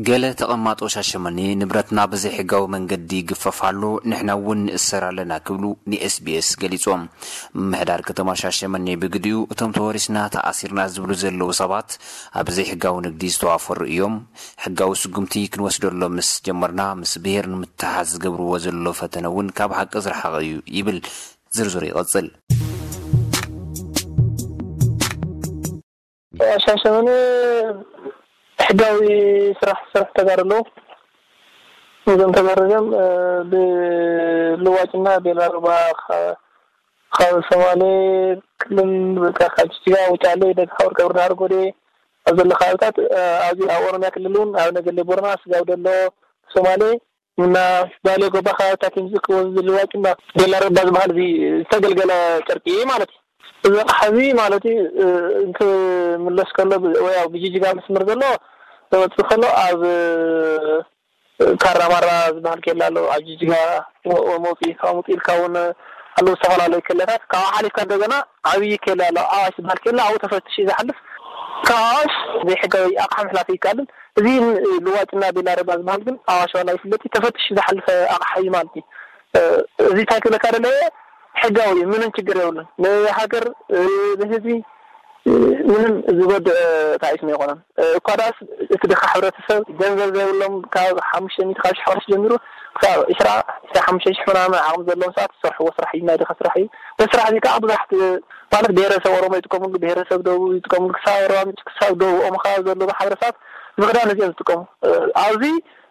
ገለ ተቐማጦ ሻሸመኔ ንብረትና ብዘይሕጋዊ መንገዲ ይግፈፍ ኣሎ፣ ንሕና እውን ንእሰር ኣለና ክብሉ ንኤስቢኤስ ገሊጾም። ምምሕዳር ከተማ ሻሸመኔ ብግዲኡ እቶም ተወሪስና ተኣሲርና ዝብሉ ዘለዉ ሰባት ኣብ ዘይሕጋዊ ንግዲ ዝተዋፈሩ እዮም። ሕጋዊ ስጉምቲ ክንወስደሎም ምስ ጀመርና ምስ ብሄር ንምትሓዝ ዝገብርዎ ዘሎ ፈተነ እውን ካብ ሓቂ ዝረሓቐ እዩ ይብል። ዝርዝሩ ይቐጽል። ሻሸመኔ ሕጋዊ ስራሕ ዝሰርሑ ተጋሩ ኣለዉ። እዞም ተጋሩ እዚኦም ብልዋጭና ቤላ ሩባ ካብ ሶማሌ ክልል በቃ ካብ ጅጅጋ ውጫሌ ደጋ ወርቀ ብርዳሃር ጎዴ ኣብ ዘሎ ከባብታት ኣብዚ ኣብ ኦሮሚያ ክልል እውን ኣብ ነገሌ ቦረና ስጋው ደሎ ሶማሌ እና ባሌ ጎባ ከባብታት እዮም ዝእክቦ ዝልዋጭ እና ቤላ ሩባ ዝበሃል እዚ ዝተገልገለ ጨርቂ ማለት እዩ። እዚ ኣቕሓ እዚ ማለት እዩ እንትምለስ ከሎ ወይ ኣብ ብጅጅጋ መስመር ዘሎ ዘወፅእ ከሎ ኣብ ካራማራ ዝበሃል ኬላ ኣሎ ኣብ ጅጅጋ መውፅኢ ካብ ምውፅእ ኢልካ እውን ኣለዉ ዝተፈላለዩ ኬላታት ካብኡ ሓሊፍካ እንደገና ዓብዪ ኬላ ኣሎ ኣዋሽ ዝበሃል ኬላ ኣብኡ ተፈትሽ እዩ ዝሓልፍ ካብ ኣዋሽ ዘይሕጋዊ ኣቕሓ ምሕላፍ ይከኣልን እዚ ልዋጭና ቤላ ረባ ዝበሃል ግን ኣዋሽ ዋላ ይፍለጥ እዩ ተፈትሽ ዝሓልፈ ኣቕሓ እዩ ማለት እዩ እዚ እንታይ ክብለካ ደለየ ሕጋዊ እዩ ምንም ችግር የብሉን ንሃገር ንህዝቢ ምንም ዝጎድእ ታሪፍ ነው የኮነን እኳ ዳስ እቲ ድኻ ሕብረተሰብ ገንዘብ ዘይብሎም ካብ ሓሙሽተ ሚእቲ ካብ ሽሕ ቅርሺ ጀሚሩ ክሳብ ዒስራ ዒስራ ሓሙሽተ ሽሕ ምናምን ዓቕሚ ዘለዎም ሰባት ዝሰርሕዎ ስራሕ እዩ ናይ ድኻ ስራሕ እዩ በስራሕ እዚ ከዓ ብዙሓት ማለት ብሄረሰብ ኦሮሞ ይጥቀምሉ ብሄረሰብ ደቡብ ይጥቀምሉ ክሳብ ኣርባ ምንጭ ክሳብ ደቡብ ኦሞ ከባቢ ዘለዉ ማሕበረሰባት ምኽዳን እዚኦም ዝጥቀሙ ኣብዚ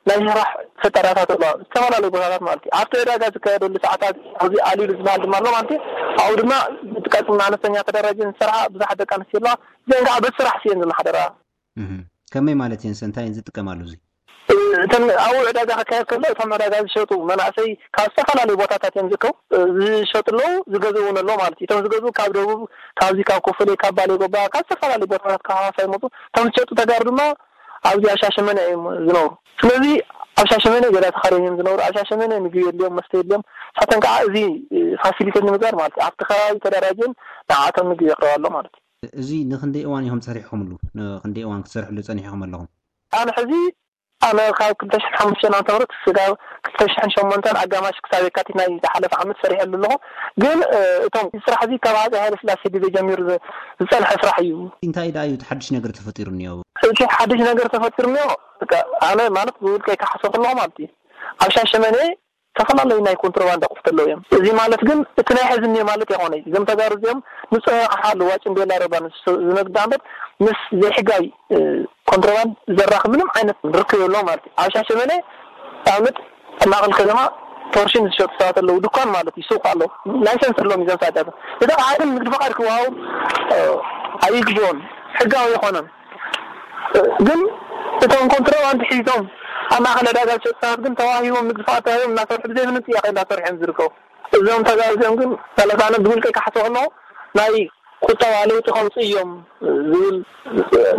ናይ ስራሕ ፈጠራታት ኣለዋ ዝተፈላለዩ ቦታታት ማለት እዩ ኣብቲ ዕዳጋ ዝካየደሉ ሰዓታት ኣብዚ ኣልኢሉ ዝበሃል ድማ ኣሎ ማለት እዩ ኣብኡ ድማ ዝጥቀጥና ኣነስተኛ ተደራጀን ዝሰርሓ ብዙሓት ደቂ ኣንስትዮ ኣለዋ እዚአን ከዓ በቲ ስራሕ ስየን ዝመሓደራ ከመይ ማለት እየን ሰንታይ እየን ዝጥቀማሉ እዚ እተን ኣብኡ ዕዳጋ ክካየድ ከሎ እቶም ዕዳጋ ዝሸጡ መናእሰይ ካብ ዝተፈላለዩ ቦታታት እዮም ዝእከቡ ዝሸጡ ኣለዉ ዝገዝኡ እውን ኣለዉ ማለት እዩ እቶም ዝገዝኡ ካብ ደቡብ ካብዚ ካብ ኮፈሌ ካብ ባሌ ጎባ ካብ ዝተፈላለዩ ቦታታት ካብ ሃዋሳ ይመፁ እቶም ዝሸጡ ተጋሩ ድማ ኣብዚ ኣብ ሻሸመኔ እዮም ዝነብሩ ስለዚ ኣብ ሻሸመኔ ገዛ ተኻርዮም እዮም ዝነብሩ ኣብ ሻሸመኔ ምግቢ የድልዮም መስተ የድልዮም ንሳተን ከዓ እዚ ፋሲሊቴት ንምግባር ማለት እዩ ኣብቲ ከባቢ ተደራጅን ንዓቶም ምግቢ የቕርባ ኣሎ ማለት እዩ እዚ ንክንደይ እዋን ኢኹም ፀኒሕኩምሉ ንክንደይ እዋን ክትሰርሕሉ ፀኒሕኩም ኣለኹም ኣነ ሕዚ ኣነ ካብ ክልተ ሽሕን ሓሙሽተን ዓመተ ምህረት ስጋብ ክልተ ሽሕን ሸሞንተን ኣጋማሽ ክሳብ የካቲት ናይ ዝሓለፈ ዓመት ሰሪሐሉ ኣለኹ ግን እቶም ስራሕ እዚ ካብ ኣፀይ ሃይለ ስላሴ ግዜ ጀሚሩ ዝፀንሐ ስራሕ እዩ እንታይ ደኣ እዩ እቲ ሓድሽ ነገር ተፈጢሩ እኒኦ እቲ ሓድሽ ነገር ተፈጢሩ እኒኦ ኣነ ማለት ብውልቀይ ክሓስቦ ከለኹ ማለት እዩ ኣብ ሻሸመኔ ዝተፈላለዩ ናይ ኮንትሮባንድ ኣቑሑት ኣለዉ እዮም። እዚ ማለት ግን እቲ ናይ ሕዚ እኒኦ ማለት ኣይኮነይ። እዞም ተጋሩ እዚኦም ንፁህ ኣቕሓ ልዋጭን ቤላ ረባን ዝነግዱ እምበር ምስ ዘይሕጋዊ ኮንትሮባንድ ዘራኽብ ምንም ዓይነት ርክብ የብሎም ማለት እዩ። ኣብ ሻሸመኔ ንኣብነት ኣብ ማእኸል ከተማ ቶርሽን ዝሸጡ ሰባት ኣለዉ። ድኳን ማለት እዩ ሱቕ ኣሎ። ላይሰንስ ኣለዎም እዞም ሰባት እዚኣቶም። እቲ ኣቕሓ ግን ንግዲ ፈቓድ ክወሃቦም ኣይግብኦን። ሕጋዊ ኣይኮነን። ግን እቶም ኮንትሮባንድ ሒዞም ኣብ ማእኸል ዕዳጋ ዝሸጡ ሰባት ግን ተዋሂቦም ንግዲ ፍቓድ ተዋሂቦም እናሰርሑ ብዘይ ምንም ጥያቄ እናሰርሑ እዮም ዝርከቡ። እዞም ተጋሩ እዚኦም ግን ማለት ኣነ ብውልቀይ ክሓስቦ ከለኹ ናይ ቁጠባ ለውጢ ከምፅኡ እዮም ዝብል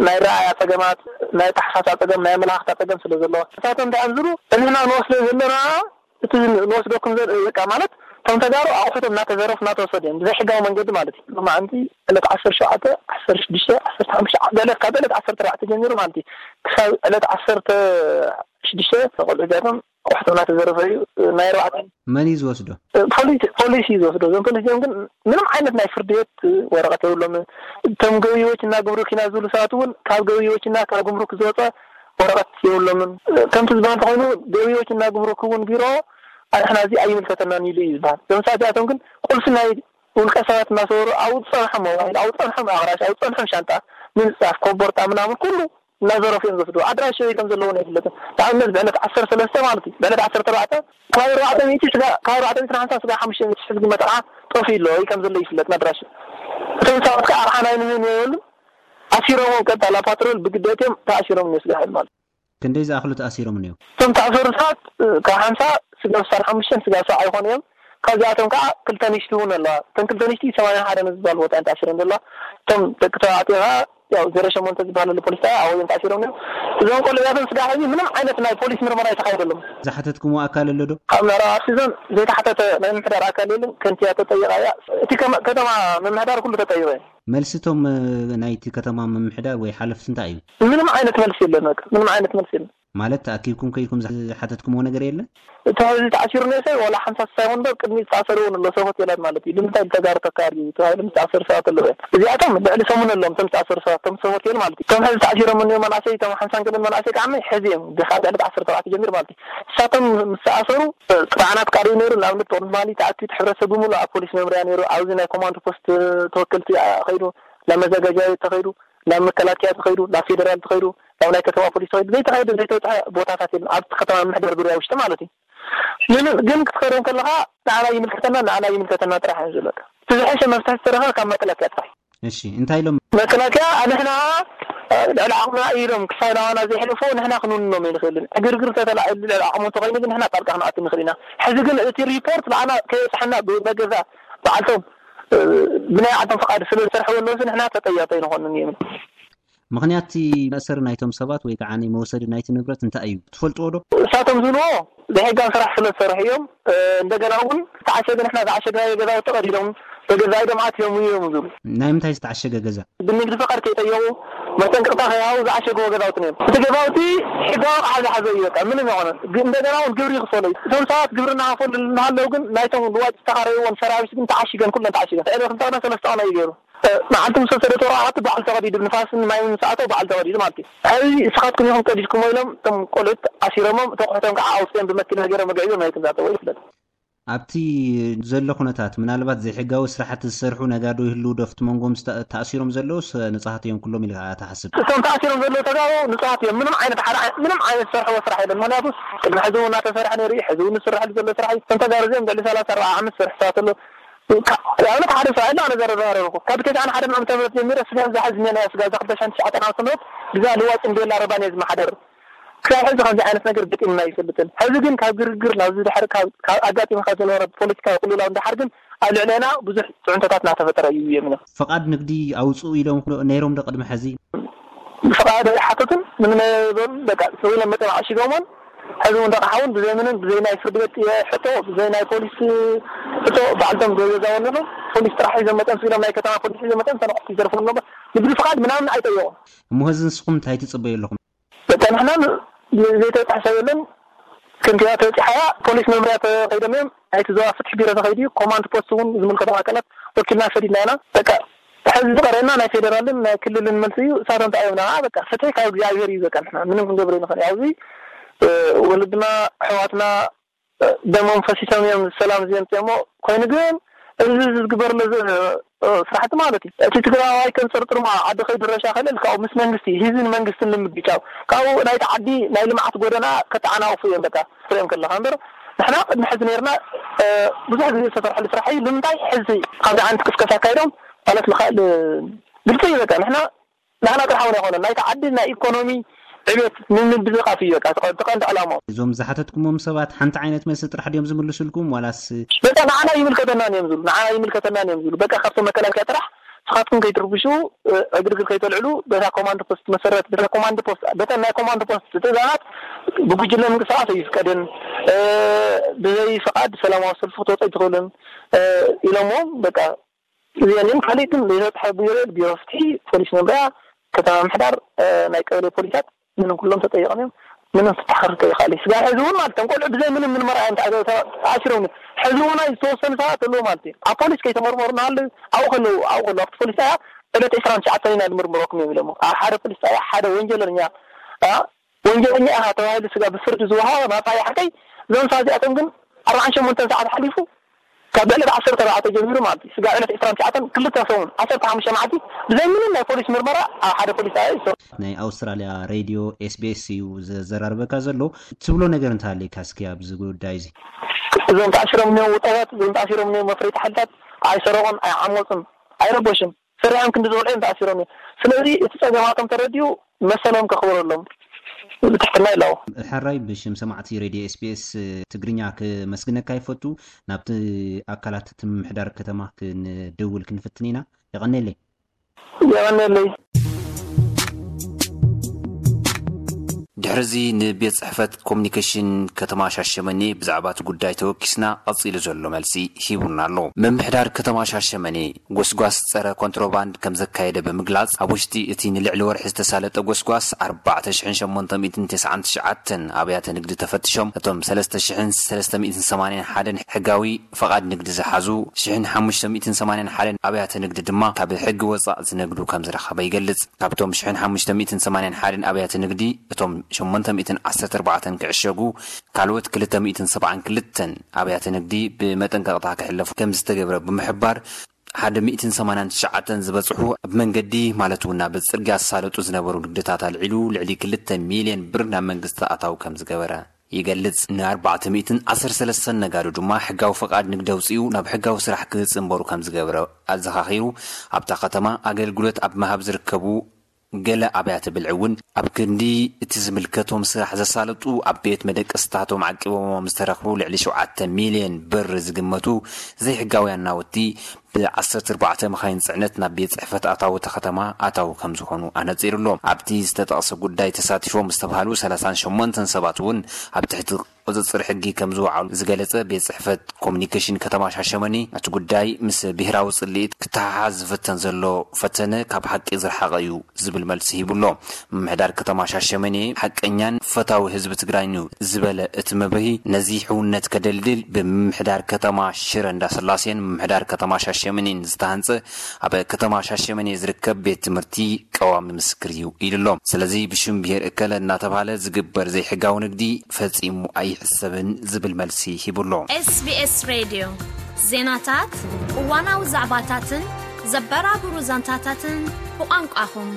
ናይ ረኣያ ፀገማት፣ ናይ ኣተሓሳስባ ፀገም፣ ናይ ኣመለኻኽታ ፀገም ስለ ዘለዎ ንሳቶም እንታይ እዮም ዝብሉ ንሕና ንወስዶ ዘለና እቲ ንወስደኩም ዘ በቃ ማለት እቶም ተጋሩ ኣቑሑቶም እናተዘረፉ እናተወሰዱ እዮም ብዘይ ሕጋዊ መንገዲ ማለት እዩ። ሎማዓንቲ ዕለት ዓሰርተ ሸውዓተ፣ ዓሰርተ ሽዱሽተ፣ ዓሰርተ ሓሙሽተ ገለ ካብ ዕለት ዓሰርተ ኣርባዕተ ጀሚሩ ማለት እዩ ክሳብ ዕለት ዓሰርተ ሽዱሽተ ቆልዑ እዚኣቶም ኣቑሑቶም እናተዘረፈ እዩ ናይ ኣርባዕተ። መን እዩ ዝወስዶ? ፖሊስ ፖሊስ እዩ ዝወስዶ። እዞም ፖሊስ እዚኦም ግን ምንም ዓይነት ናይ ፍርዲ ቤት ወረቐት የብሎምን። እቶም ገቢዎች እና ጉምሩክ ኢና ዝብሉ ሰባት እውን ካብ ገቢዎች እና ካብ ጉምሩክ ዝወፀ ወረቐት የብሎምን። ከምቲ ዝበሃል እንተኾይኑ ገቢዎች እና ጉምሩክ እውን ቢሮ ኣንሕና እዚ ኣይምልከተናን ኢሉ እዩ ዝበሃል። እዞም ሰባት እዚኣቶም ግን ቁልፊ ናይ ውልቀ ሰባት እናሰወሩ ኣብኡ ዝፀንሖም ሞባይል፣ ኣብኡ ዝፀንሖም ኣቕራሽ፣ ኣብኡ ዝፀንሖም ሻንጣ፣ ምንፃፍ፣ ኮቦርታ ምናምን ኩሉ እናዘረፉ እዮም ዝወስድዎ። ኣድራሽኡ ከም ዘለዎን ኣይፍለጥን። ንኣብነት ብዕለት ዓሰርተ ሰለስተ ማለት እዩ፣ ብዕለት ዓሰርተ ኣርባዕተ ካብ ኣርባዕተ ሚእቲ ስጋ ካብ ኣርባዕተ ሚእቲ ንሓምሳ ስጋ ሓሙሽተ ሚእቲ ሽሕ ዝግመት ኣቕሓ ጠፊኡ ኣሎ ወይ ከም ዘሎ ይፍለጥ ኣድራሽኡ። እቶም ሰባት ከዓ ኣቕሓ ናይ ንህን የብሉን። ኣሲሮምዎም ቀጥታ ላብ ፓትሮል ብግደት እዮም ተኣሲሮም እዮም ስጋብ ሕዚ ማለት እዩ። ክንደይ ዝኣኽሉ ተኣሲሮም እኒኦ? እቶም ተኣሰሩ ሰባት ካብ ሓምሳ ስጋብ ስሳን ሓሙሽተን ስጋብ ሰብዓ ይኾኑ እዮም። ካብዚኣቶም ከዓ ክልተ ንሽቲ እውን ኣለዋ። እተን ክልተ ንሽቲ ሰማንያ ሓደ ንዝበሃል ቦታ እየን ተኣሲረን ዘለዋ። እቶም ደቂ ተባዕትዮ ከዓ ያው ዜሮ ሸሞንተ ዝበሃል ኣሎ ፖሊስ ጣብያ ኣብኡ እዮም ተኣሲሮም ነይሮም። እዞም ቆልዑ እዚኣቶም ስጋብ ሕዚ ምንም ዓይነት ናይ ፖሊስ ምርመራ ኣይተኻየደሎም። ዝሓተትኩምዎ ኣካል ኣሎ ዶ? ካብ ምዕራብ ኣርሲ ዞን ዘይተሓተተ ናይ ምምሕዳር ኣካል የለን። ከንቲባ ተጠይቓ እያ። እቲ ከመ- ከተማ ምምሕዳር ኩሉ ተጠይቑ እዮም። መልሲ እቶም ናይቲ ከተማ ምምሕዳር ወይ ሓለፍቲ እንታይ እዩ? ምንም ዓይነት መልሲ የለን። በቃ ምንም ዓይነት መልሲ የለን። ማለት ተኣኪብኩም ከይድኩም ዝሓተትኩምዎ ነገር የለን? እቲ ሕዚ ተኣሲሩ ነሰ ዋላ ሓምሳ ስሳ ይኹን በር ቅድሚ ዝተኣሰሩ እውን ኣሎ ሰብ ሆቴላት ማለት እዩ። ንምንታይ ተጋሩ ተካሪ ተባሂሉ ዝተኣሰሩ ሰባት ኣለዉ እዮም። እዚኣቶም ልዕሊ ሰሙን ኣለዎም እቶም ዝተኣሰሩ ሰባት እቶም ሰብ ሆቴል ማለት እዩ። እቶም ሕዚ ተኣሲሮም እኒኦ መናእሰይ እቶም ሓምሳን ገለን መናእሰይ ከዓ ሕዚ እዮም ካብ ዕለት ዓሰርተ ተባዕተ ጀሚሩ ማለት እዩ። ንሳቶም ምስ ተኣሰሩ ጥርዓናት ቃሪ ነይሩ። ንኣብነት ጦር ትማሊ ተኣኪቡ ሕብረተሰብ ብምሉ ኣብ ፖሊስ መምርያ ነይሩ። ኣብዚ ናይ ኮማንዶ ፖስት ተወከልቲ ከይዱ ናብ መዘጋጃ ቤት ተኸይዱ ናብ መከላከያ ተኸይዱ ናብ ፌደራል ተኸይዱ ናብ ናይ ከተማ ፖሊስ ተኸይዱ ዘይተኸይደ ዘይተውፅሐ ቦታታት የለን ኣብቲ ከተማ ምሕደር ዙርያ ውሽጢ ማለት እዩ። ግን ክትኸደም ከለኻ ንዓና ይምልከተና ንዓና ይምልከተና ጥራሕ እዩ ዝብለካ። እቲ ዝሐሸ መፍትሒ ዝተረኸ ካብ መከላከያ ጥራሕ። እሺ እንታይ ኢሎም? መከላከያ ንሕና ልዕሊ ዓቕምና ኢሎም ክሳብ ናባና ዘይሕልፉ ንሕና ክንውንኖም ኣይንኽእልን። ዕግርግር ተተላዒሉ ልዕሊ ዓቕሙ እንተኾይኑ ግን ንሕና ጣልቃ ክንኣቱ ንኽእል ኢና። ሕዚ ግን እቲ ሪፖርት ንዓና ከየብፅሐና ብመገዛ በዓልቶም ብናይ ዓቶም ፍቓድ ስለ ዝሰርሕዎ ኣለዉ ንሕና ተጠያቂ ኣይንኾንን እዮም። ምኽንያት እቲ መእሰሪ ናይቶም ሰባት ወይ ከዓ መውሰዲ ናይቲ ንብረት እንታይ እዩ ትፈልጥዎ ዶ? እሳቶም ዝብልዎ ዘይሕጋዊ ስራሕ ስለ ዝሰርሑ እዮም። እንደገና እውን ዝተዓሸገ ንሕና ዝዓሸግናዮ ገዛውቲ ቀዲዶም በገዛኢዶም ኣትዮም እዮም ዝብሉ። ናይ ምንታይ ዝተዓሸገ ገዛ? ብንግዲ ፈቃድ ከይጠየቁ መጠንቀቅታ ከይሃቡ ዝዓሸግዎ ገዛውቲ እዮም። እቲ ገዛውቲ ሕጋዊ ኣቕሓ ዝሓዘ እዩ። በቃ ምንም ይኾነ እንደገና እውን ግብሪ ይኽፈሉ እዩ። እቶም ሰባት ግብሪ እናኸፈሉ እናሃለዉ ግን ናይቶም ልዋጭ ዝተኻረይዎም ሰራዊት ግን ተዓሺገን ኩለን ተዓሺገን ዕለት ክልተ ቀነ ሰለስተ ቀነ እዩ ገይሩ። መዓልቲ ምስ ወሰደ ተወራዓቱ በዓል ተቐዲዱ ንፋስን ማይን ምስ ኣተው በዓል ተቐዲዱ ማለት እዩ። ሕዚ እስኻትኩም ኢኹም ቀዲድኩሞ ኢሎም እቶም ቆልዑት ኣሲሮሞም እቶም ኣቑሑቶም ከዓ ኣውፅኦም ብመኪና ገይሮም ኣግዒዞም ናይቶም ዝኣተዎ ይፍለጥ። ኣብቲ ዘሎ ኩነታት ምናልባት ዘይሕጋዊ ስራሕቲ ዝሰርሑ ነጋዶ ይህልዉ ዶ ኣብቲ መንጎኦም ተኣሲሮም ዘለዉስ ንፁሃት እዮም ኩሎም ኢልካ ትሓስብ? እቶም ተኣሲሮም ዘለዉ ተጋሩ ንፁሃት እዮም። ምንም ዓይነት ሓደ ምንም ዓይነት ዝሰርሕዎ ስራሕ የለን። ምክንያቱ ቅድሚ ሕዚ እውን እናተሰርሐ ነይሩ እዩ። ሕዚ እውን ዝስረሐሉ ዘሎ ስራሕ እዩ። እቶም ተጋሩ እዚኦም ልዕሊ ሰላሳ ኣርባዓ ዓመት ዝሰርሑ ሰባት ኣለዉ። ንኣብነት ሓደ ሰብ ኣለ ኣነ ዘረጋገርኩ ካብ ተስዓን ሓደን ዓመተ ምህረት ጀሚረ ስጋ ዝሓዝ ሜላ ስጋ እዛ ክልተ ሽሕን ትሽዓተን ዓመተ ምህረት ብዛ ልዋጭን ቤላ ረባን እየ ዝመሓደር። ክሳብ ሕዚ ከምዚ ዓይነት ነገር ገጢምና ኣይፈልጥን። ሕዚ ግን ካብ ግርግር ናብዚ ድሕሪ ካብ ኣጋጢሙ ካብ ዝነበረ ፖለቲካዊ ቅልውላው ንደሓር ግን ኣብ ልዕሌና ብዙሕ ፅዕንቶታት እናተፈጠረ እዩ የሚኖ። ፍቓድ ንግዲ ኣውፅኡ ኢሎም ነይሮም ዶ ቅድሚ ሕዚ? ፍቓድ ኣይሓተቱን ምንም ኣይበሉን። በቃ ስቕ ኢሎም መፅዮም ዓሺጎሞን ሕዚ እውን ደቕሓ እውን ብዘይ ምንም ብዘይ ናይ ፍርዲ ቤት ሕቶ ብዘይ ናይ ፖሊስ ሕቶ ባዕልቶም ገዛ ወለኖም ፖሊስ ጥራሕ ሒዞም መፅዮም ስኢሎም ናይ ከተማ ፖሊስ ሒዞም መፅዮም ተነቑሕቲ ይዘርፉ ኣለዎ። ንግዲ ፍቓድ ምናምን ኣይጠየቑን። እሞ ሕዚ ንስኹም እንታይ ትፅበዩ ኣለኹም? በቃ ንሕና ዘይተፃሕሰ የለን። ከንቲባ ተበፂሓያ ፖሊስ መምርያ ተኸይዶም እዮም ናይቲ ዞባ ፍትሒ ቢሮ ተኸይዱ እዩ ኮማንድ ፖስት እውን ዝምልከቶም ኣካላት ወኪልና ሰዲድና ኢና። በቃ ሕዚ ዝቐረና ናይ ፌደራልን ናይ ክልልን መልሲ እዩ። እሳቶም እንታይ እዮም ንዓ በቃ ፍትሒ ካብ እግዚኣብሔር እዩ። በቃ ንሕና ምንም ክንገብር ንኽእል ኣብዚ ወለድና ኣሕዋትና ደሞም ፈሲሶም እዮም ሰላም ዝየምፅኦሞ። ኮይኑ ግን እዚ ዝግበር ዘሎ ስራሕቲ ማለት እዩ እቲ ትግራዋይ ከም ፅርጥር ማ ዓዲ ከይዱ ረሻ ከልእል ካብኡ ምስ መንግስቲ ህዝብን መንግስትን ንምግጫው ካብኡ ናይቲ ዓዲ ናይ ልምዓት ጎደና ከተዓናቕፉ እዮም በቃ ትሪኦም ከለካ እምበር ንሕና ቅድሚ ሕዚ ነርና ብዙሕ ግዜ ዝተሰርሐሉ ስራሕ እዩ። ንምንታይ ሕዚ ካብዚ ዓይነት ቅስቀሳ ኣካይዶም ማለት ምኻእል ግልፂ እዩ። በቃ ንሕና ናህና ጥራሕ እውን ኣይኮነን ናይቲ ዓዲ ናይ ኢኮኖሚ ዕቤት ንምብዝቓፍ እዩ በቃ እቲ ቀንዲ ዕላማኦም። እዞም ዝሓተትኩሞም ሰባት ሓንቲ ዓይነት መልሲ ጥራሕ ድዮም ዝምልሱልኩም ዋላስ? በቃ ንዓና ይምልከተናን እዮም ዝብሉ ንዓና ይምልከተናን እዮም ዝብሉ በቃ ካብቶም መከላከያ ጥራሕ ንስኻትኩም ከይትርብሹ ዕግርግር ከይተልዕሉ በታ ኮማንድ ፖስት መሰረት በታ ኮማንድ ፖስት በተን ናይ ኮማንድ ፖስት ትእዛዛት ብጉጅለ ምንቅስቃስ ኣይፍቀድን ብዘይ ፍቃድ ሰላማዊ ሰልፊ ክትወፁ ኣይትኽእሉን ኢሎምዎም በቃ እዚአን እየን። ካሊእ ግን ዘይተፅሐ ቢሮ ቢሮ ፍትሒ ፖሊስ መምርያ ከተማ ምሕዳር ናይ ቀበሌ ፖሊሳት ምንም ኩሎም ተጠይቆም እዮም። ምንም ፍትሒ ክርከብ ይኽእል እዩ። ስጋብ ሕዚ እውን ማለት እቶም ቆልዑ ብዘይ ምንም ምርመራ እዮም ተኣሲሮም። ሕዚ እውን ዝተወሰኑ ሰባት ኣለዉ ማለት እዩ ኣብ ፖሊስ ከይተመርመሩ እናሃለዉ ኣብኡ ከለዉ ኣብኡ ከለዉ ኣብቲ ፖሊስ ጣብያ ዕለት ዕስራን ትሽዓተን ኢና ንምርምረኩም እዮም ኢሎሞ ኣብ ሓደ ፖሊስ ጣብያ ሓደ ወንጀለኛ ወንጀለኛ ኢኻ ተባሂሉ ስጋ ብፍርዲ ዝወሃቦ ናፃ እዩ ሓቀይ። እዞም ሰባት እዚኣቶም ግን ኣርባዓን ሸሞንተን ሰዓት ሓሊፉ ካብ ዕለት ዓሰርተ ኣርባዕተ ጀሚሩ ማለት እዩ ስጋ ዕለት ዕስራን ትሽዓተን ክልተ ሰሙን ዓሰርተ ሓሙሽተ መዓልቲ ብዘይ ምንም ናይ ፖሊስ ምርመራ ኣብ ሓደ ፖሊስ ጣብያ ይሰሩ። ናይ ኣውስትራልያ ሬድዮ ኤስቢኤስ እዩ ዘዘራርበካ ዘሎ። ትብሎ ነገር እንተሃለይካ እስኪ ኣብዚ ጉዳይ እዚ። እዞም ተኣሲሮም እኒኦ ውጣባት እዞም ተኣሲሮም እኒኦ መፍረይቲ ሓይልታት ኣይሰረቑን ኣይዓመፁን ኣይረበሹን። ሰሪሖም ክንዲ ዝወልዑ እዮም ተኣሲሮም እዮም። ስለዚ እቲ ፀገማቶም ተረዲኡ መሰሎም ከኽብረሎም ብትሕትና ይላቦ። ሕራይ ብሽም ሰማዕቲ ሬድዮ ኤስቢኤስ ትግርኛ ክመስግነካ ይፈቱ። ናብቲ ኣካላት እቲ ምምሕዳር ከተማ ክንድውል ክንፍትን ኢና። የቐኔለይ። የቐኔለይ። ድሕርዚ ንቤት ጽሕፈት ኮሚኒኬሽን ከተማ ሻሸመኔ ብዛዕባ እቲ ጉዳይ ተወኪስና ቀጺሉ ዘሎ መልሲ ሂቡና ኣሎ። ምምሕዳር ከተማ ሻሸመኔ ጎስጓስ ጸረ ኮንትሮባንድ ከም ዘካየደ ብምግላጽ፣ ኣብ ውሽጢ እቲ ንልዕሊ ወርሒ ዝተሳለጠ ጎስጓስ ኣርባዕተ ሽሕን ሸሞንተ ሚእትን ተስዓን ትሽዓተን ኣብያተ ንግዲ ተፈትሾም፣ እቶም ሰለስተ ሽሕን ሰለስተ ሚእትን ሰማንያን ሓደን ሕጋዊ ፈቓድ ንግዲ ዝሓዙ፣ ሽሕን ሓሙሽተ ሚእትን ሰማንያን ሓደን ኣብያተ ንግዲ ድማ ካብ ሕጊ ወጻእ ዝነግዱ ከም ዝረኸበ ይገልጽ። ካብቶም ሽሕን ሓሙሽተ ሚእትን ሰማንያን ሓደን ኣብያተ ንግዲ፣ እቶም ሸሞንተ ሚእትን ዓሰርተ ኣርባዕተን ክዕሸጉ፣ ካልኦት ክልተ ሚእትን ሰብዓን ክልተን ኣብያተ ንግዲ ብመጠንቀቕታ ክሕለፉ ከም ዝተገብረ ብምሕባር፣ ሓደ ሚእትን ሰማንያን ትሽዓተን ዝበጽሑ ኣብ መንገዲ፣ ማለት እውን ኣብ ጽርግያ ዝሳለጡ ዝነበሩ ንግድታት ኣልዒሉ፣ ልዕሊ ክልተ ሚልዮን ብር ናብ መንግስቲ ኣታዊ ከም ዝገበረ ይገልጽ። ን ኣርባዕተ ሚእትን ዓሰርተ ሰለስተን ነጋዶ ድማ ሕጋዊ ፈቓድ ንግዲ ኣውጺኡ ናብ ሕጋዊ ስራሕ ክጽንበሩ ከም ዝገብረ ኣዘኻኺሩ፣ ኣብታ ከተማ ኣገልግሎት ኣብ ምሃብ ዝርከቡ ገለ ኣብያተ ብልዒ እውን ኣብ ክንዲ እቲ ዝምልከቶም ስራሕ ዘሳለጡ ኣብ ቤት መደቀስታቶም ዓቂቦሞም ዝተረኽቡ ልዕሊ ሸውዓተ ሚልዮን ብር ዝግመቱ ዘይሕጋውያን ናውቲ ብ ዓሰርተ ኣርባዕተ መኻይን ጽዕነት ናብ ቤት ጽሕፈት ኣታዊ እታ ከተማ ኣታዊ ከም ዝኾኑ ኣነጺሩ ኣሎ። ኣብቲ ዝተጠቕሰ ጉዳይ ተሳቲፎም ዝተባህሉ ሰላሳን ሸሞንተን ሰባት እውን ኣብ ትሕቲ ቁጽጽር ሕጊ ከም ዝወዓሉ ዝገለጸ ቤት ጽሕፈት ኮሚኒኬሽን ከተማ ሻሸመኔ፣ እቲ ጉዳይ ምስ ብሄራዊ ጽልኢት ክተሓሓዝ ዝፍተን ዘሎ ፈተነ ካብ ሓቂ ዝረሓቐ እዩ ዝብል መልሲ ሂቡ ኣሎ። ምምሕዳር ከተማ ሻሸመኔ፣ ሓቀኛን ፈታዊ ህዝቢ ትግራይን እዩ ዝበለ እቲ መብርሂ፣ ነዚ ሕውነት ከደልድል ብምምሕዳር ከተማ ሽረ እንዳስላሴን ምምሕዳር ከተማ ሻሸመኔን ዝተሃንጸ ኣብ ከተማ ሻሸመኔ ዝርከብ ቤት ትምህርቲ ቀዋሚ ምስክር እዩ ኢሉ ኣሎ። ስለዚ ብሽም ብሄር እከለ እናተባህለ ዝግበር ዘይሕጋዊ ንግዲ ፈጺሙ ኣይሕሰብን ዝብል መልሲ ሂቡ ኣሎ። SBS ሬድዮ ዜናታት፣ እዋናዊ ዛዕባታትን ዘበራብሩ ዛንታታትን ብቋንቋኹም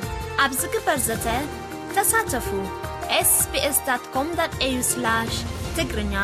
ኣብ ዝግበር ዘተ ተሳተፉ። ኤስቢኤስ ዳት ኮም ዳት ኤዩ ስላሽ ትግርኛ